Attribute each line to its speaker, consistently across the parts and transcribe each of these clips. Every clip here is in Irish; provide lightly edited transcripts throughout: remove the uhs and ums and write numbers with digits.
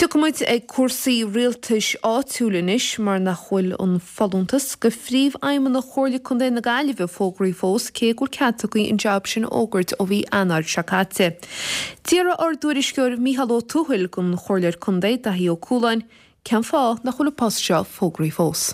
Speaker 1: Tiocfaimid ag cúrsaí rialtais áitiúil anois mar nach bhfuil an folúntas go Phríomhfheidhmeannach Chomhairle Contae na Gaillimhe fógraithe fós cé go bhfuil cead tugtha an jab sin a fhógairt ó mhí Eanáir seo caite. D'fhiafraigh ár dtuairisceoir Mícheál Ó Tuathail den Chomhairleoir Contae, Daithí Ó Cualáin, cén fáth nach bhfuil an post seo fógraithe fós.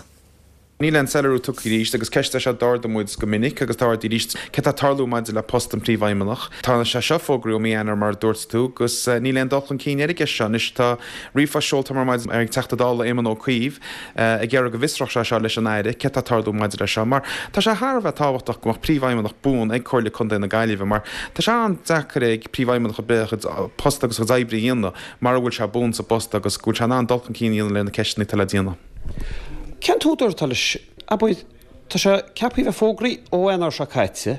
Speaker 2: Níl aon soiléiriú tugtha arís agus ceist é seo d'ardaigh muid go minic agus tá ardaithe arís, céard tá ag tarlú maidir le post an Phríomhfheidhmeannach. Tá sé seo fógraithe ó mí Eanáir mar a dúirt tú agus níl aon dul chun cinn ar an gceist seo. Anois tá ríomhphost seolta agam ar maidin ag Teachta Dála Éamon Ó Cuív ag iarraidh go bhfiosródh sé seo leis an Aire céard tá ag tarlú maidir leis seo mar tá sé thar a bheith tábhachtach go mbeadh Príomhfheidhmeannach buan ag Comhairle Contae na Gaillimhe mar tá sé an-deacair ag Príomhfheidhmeannach ar bith a chuid post agus a chuid oibre a dhéanamh mara bhfuil sé buan sa bpost agus go bhfuil sé in ann dul chun cinn a dhéanamh le na ceisteanna atá le déanamh.
Speaker 3: Cén t-údar atá leis? Abair, tá sé ceaptha a bheith fógraithe ó Eanáir seo caite.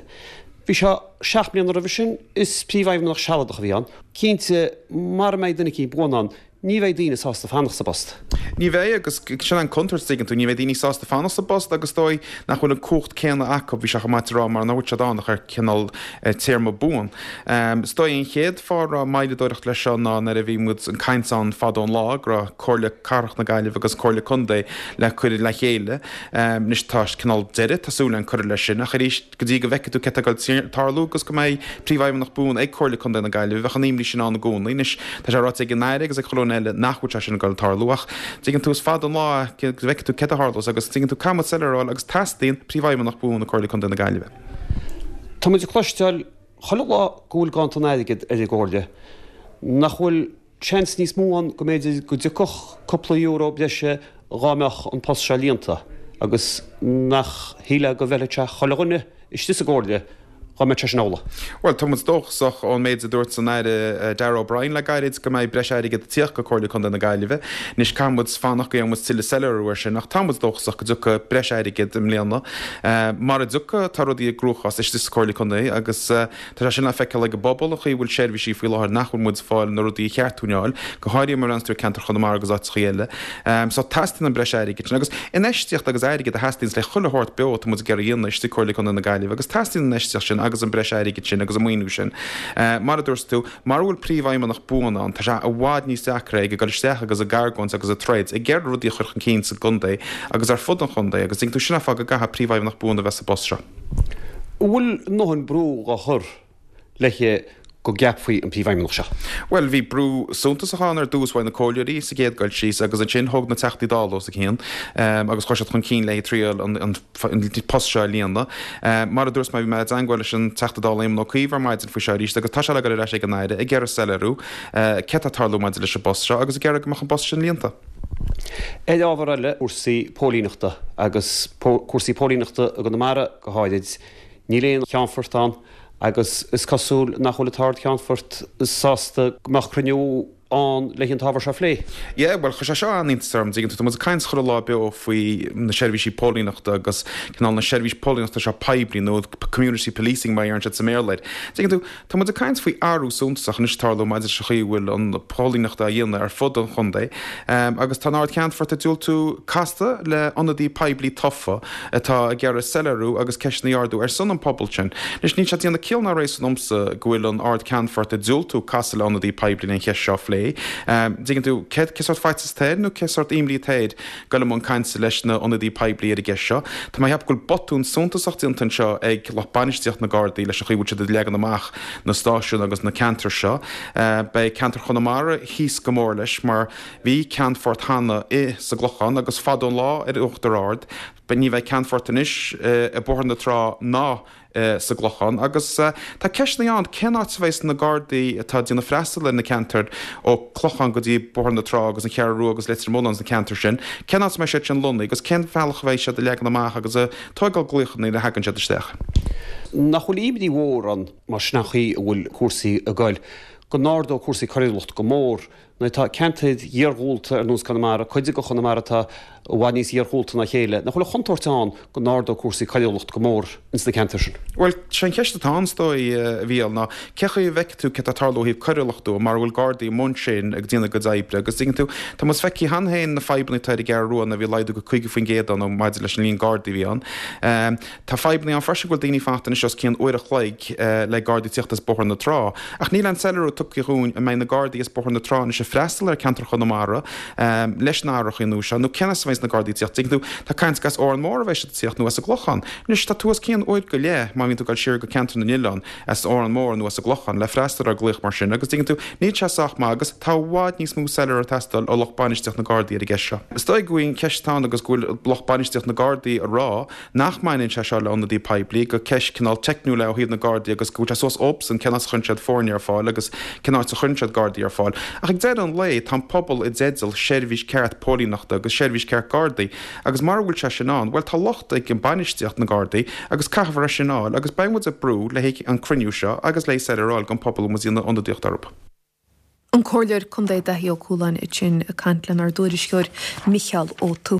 Speaker 3: Bhí sé 7 mbliana roimhe sin, is príomhfheidhmeannach sealadach a bhí ann. Cinnte, mara mbeidh duine eicínt buan ann, ní bheidh daoine sásta fanacht sa bpost.
Speaker 2: Ní bheidh, agus sin an contúirt, tuigeann tú, ní bheidh daoine sásta fanacht sa bpost agus is dóigh nach bhfuil an cumhacht céanna acu, bhí sé chomh maith a rá, mar nach bhfuil siad ann ach ar cineál téarma buan. Is dóigh an chéad fáth a raibh moilleadóireacht leis seo ná nuair a bhí muid an caint ann fadó an lá go raibh Comhairle Cathrach na Gaillimhe agus Comhairle Contae le cur le chéile. Anois tá cineál deireadh, tá súil againn, curtha leis sin ach arís go dtí go bhfeicfidh tú céard atá ag dul tarlú agus go mbeidh Príomhfheidhmeannach buan ag Comhairle Contae na Gaillimhe bheadh an imní sin ann i gcónaí. Anois tá sé ráite ag an Aire agus ag chuile dhuine eile nach bhfuil sé sin ag dul tarlú ach tuigeann tú is fada an lá go bhfeicfidh tú céard a tharlós agus tuigeann tú caithfidh muid soiléiriú a fháil agus teastaíonn Príomhfheidhmeannach buan ag Comhairle Contae na Gaillimhe.
Speaker 3: Tá muid ag cloisteáil chuile lá go bhfuil ganntan airgid ar an gComhairle. Nach bhfuil seans níos mó ann go mb'fhéidir go dtiocfadh cúpla euro breise dhá mbeadh an post seo líonta agus nach shílfeá go bhfeilfeadh sé chuile dhuine istigh sa gComhairle dhá mbeadh sé sin amhlaidh.
Speaker 2: Bhuel, tá muid dóchasach ón méid a dúirt an Aire Darragh O'Brien le gairid go mbeidh breis airgid ag tíocht go Comhairle Contae na Gaillimhe. Anois caithfidh muid fanacht go bhfaighidh muid tuilleadh soiléiriú air sin ach tá muid dóchasach go dtiocfaidh breis airgid i mbliana. Mara dtiocfaidh, tá rudaí i gcruachás istigh sa Chomhairle Contae agus Tá sé sin le feiceáil ag an bpobal, an chaoi a bhfuil seirbhísí faoi láthair nach bhfuil muid ag fáil na rudaí a cheart dúinn a fháil, go háirithe má bhreathnaíonns tú ar ceantar Chonamara agus áiteachaí eile. So teastaíonn an breis airgid sin. Agus infheistíocht agus airgead a theastaíonns le chuile shórt beo atá muid ag iarraidh a dhéanamh istigh i Comhairle Contae na Gaillimhe agus teastaíonn an infheistíocht sin agus an breis airgid sin agus an maoiniú sin. Mar a dúirt tú, mara bhfuil príomhfheidhmeannach buan ann, tá sé i bhfad níos deacra ag dul isteach agus ag argóint agus ag troid ag iarraidh rudaí a chur chun cinn sa gcontae agus ar fud an chontae agus tuigeann tú sin an fáth go gcaithfidh príomhfheidhmeannach buan a bheith sa bpost seo.
Speaker 3: An bhfuil a ndóthain brú dhá chur léithe go gceapfaí an Príomhfheidhmeannach seo?
Speaker 2: Bhuel, bhí brú suntasach ann ar dtús uaidh na comhairleoirí sa gcéad dul síos agus ansin thóg na Teachtaí Dála os a cionn agus chuir siad chun cinn léi triail an post seo a líonadh. Mar a dúirt mé, bhí mé i dteangmháil leis an Teachta Dála Éamon Ó Cuív ar maidin faoi seo arís agus tá sé le dul ar ais ag an Aire ag iarraidh soiléiriú céard atá ag tarlú maidir leis an bpost seo agus ag iarraidh go mbeadh an post sin líonta.
Speaker 3: Ar ábhar eile, cúrsaí póilíneachta agus cúrsaí póilíneachta i gConamara go háirid, níl aon cheannfort ann agus is cosúil nach bhfuil an tArd-Cheannfort sásta go mbeadh cruinniú ann le an t-ábhar seo a phlé.
Speaker 2: Yeah, bhuel, chuir sé seo an-iontas orm, dtuigeann tú, tá muid ag caint chuile lá beo faoi na seirbhísí póilíneachta agus cineál na seirbhís póilíneachta seo poiblí nó community policing mar a deireann siad sa mBéarla air. Dtuigeann tú, Tá muid ag caint faoi athrú suntasach anois ag tarlú maidir leis an chaoi a bhfuil an phóilíneacht á dhéanamh ar fud an chontae agus tá an Ard-Cheannfort ag diúltú casadh le ionadaí poiblí tofa atá ag iarraidh soiléiriú agus ceisteanna a ardú ar son an pobail sin. Anois níl sé ag déanamh ciall ná réasún domsa go bhfuil an Ard-Cheannfort ag diúltú casadh le ionadaí poiblí le an cheist seo a phlé. Dtuigeann tú, cé sórt faitíos atá air nó cé sórt imní atá air dul i mbun cainte leis na ionadaí poiblí ar an gceist seo. Tá mé ag ceapadh go bhfuil botún suntasach déanta anseo ag lucht bainistíocht na Gardaí leis an chaoi a bhfuil siad ag leagan amach na stáisiúin agus na ceantair seo. Beidh ceantar Chonamara thíos go mór leis mar bhí ceannfort cheana i sa gClochán agus fada an lá ar Uachtar Ard. Ní bheidh ceannfort anois i Bóthar na Trá ná sa gClochán agus tá ceisteanna ann cén áit a bheas na Gardaí atá ag déanamh freastal ar na ceantair ó Clochán go dtí Bóthar na Trá agus an Cheathrú Rua agus Leitir Mealláin sna ceantair sin, cén áit a mbeidh siad sin lonnaithe agus cén bhealach a bheidh siad ag leagan amach agus ag tóigeáil glaochanna nuair a thagann siad isteach.
Speaker 3: Nach bhfuil imní mhór ann, mar sin an chaoi a bhfuil cúrsaí ag goil, go n-ardóidh cúrsaí coiriúlachta go mór Nuair atá ceantair iarghúlta ar nós Conamara, cuid de Chonamara atá i bhfad níos iarghúlta ná a chéile, nach bhfuil an chontúirt ann go n-ardóidh cúrsaí coiriúlachta go mór ins na ceantair sin?
Speaker 2: Bhuel, sé an cheist atá ann, is dóigh, a Mhícheáil, ná cé chaoi a bhfeicfidh tú céard atá ag tarlú ó thaobh coiriúlachta de mara bhfuil Gardaí i mbun sin ag déanamh a gcuid oibre agus tuigeann tú, tá muid feicthe cheana féin na fadhbanna atá ar an gCeathrú Rua nuair a bhí laghdú go 50% ann maidir leis an líon Gardaí a bhí ann. Tá fadhbanna ann freisin go bhfuil daoine ag fanacht anois os cionn uair a chloig le Gardaí tíocht as Bóthar na Trá. Ach níl aon soiléiriú tugtha dhúinn an mbeidh na Gardaí as Bóthar na Trá anois ag. freastal ar cheantar Chonamara leis na árthaí nua seo nó cén as a bheidh na Gardaí ag tíocht. Tuigeann tú, tá caint gur as Órán Mór a bheidh siad ag tíocht nó as an gClochán. Anois, tá tú os cionn uair go leith má bhíonn tú ag dul siar go ceantar na nOileán, as Órán Mór nó as an gClochán le freastal ar ghlaoch mar sin agus tuigeann tú, níl sé sách maith agus tá i bhfad níos mó soiléire ag teastáil ó lucht bainistíocht na Gardaí ar an gceist seo. Is dóigh go bhfuil an cheist ann agus go bhfuil lucht bainistíocht na Gardaí ag rá nach mbaineann sé seo le ionadaí poiblí, gur ceist cineál teicniúil é ó thaobh na Gardaí agus go bhfuil sé suas dóibhsan cén as a chuireann siad foirne ar fáil agus cén áit a chuireann siad Gardaí ar fáil. Ach ag deireadh an lae, tá an pobal i dteideal seirbhís ceart póilíneachta agus seirbhís ceart Gardaí agus mara bhfuil sé sin ann, bhuel tá locht ag an bainistíocht na Gardaí agus caithfear é sin a fháil agus beidh muid ag brú le haghaidh an cruinniú seo agus le soiléire a fháil don pobal a bhfuil muid ag déanamh ionadaíocht orthu.
Speaker 1: An Comhairleoir Contae Daithí Ó Cualáin ansin ag caint lenár dtuairisceoir Micheál Ó Tuathaigh.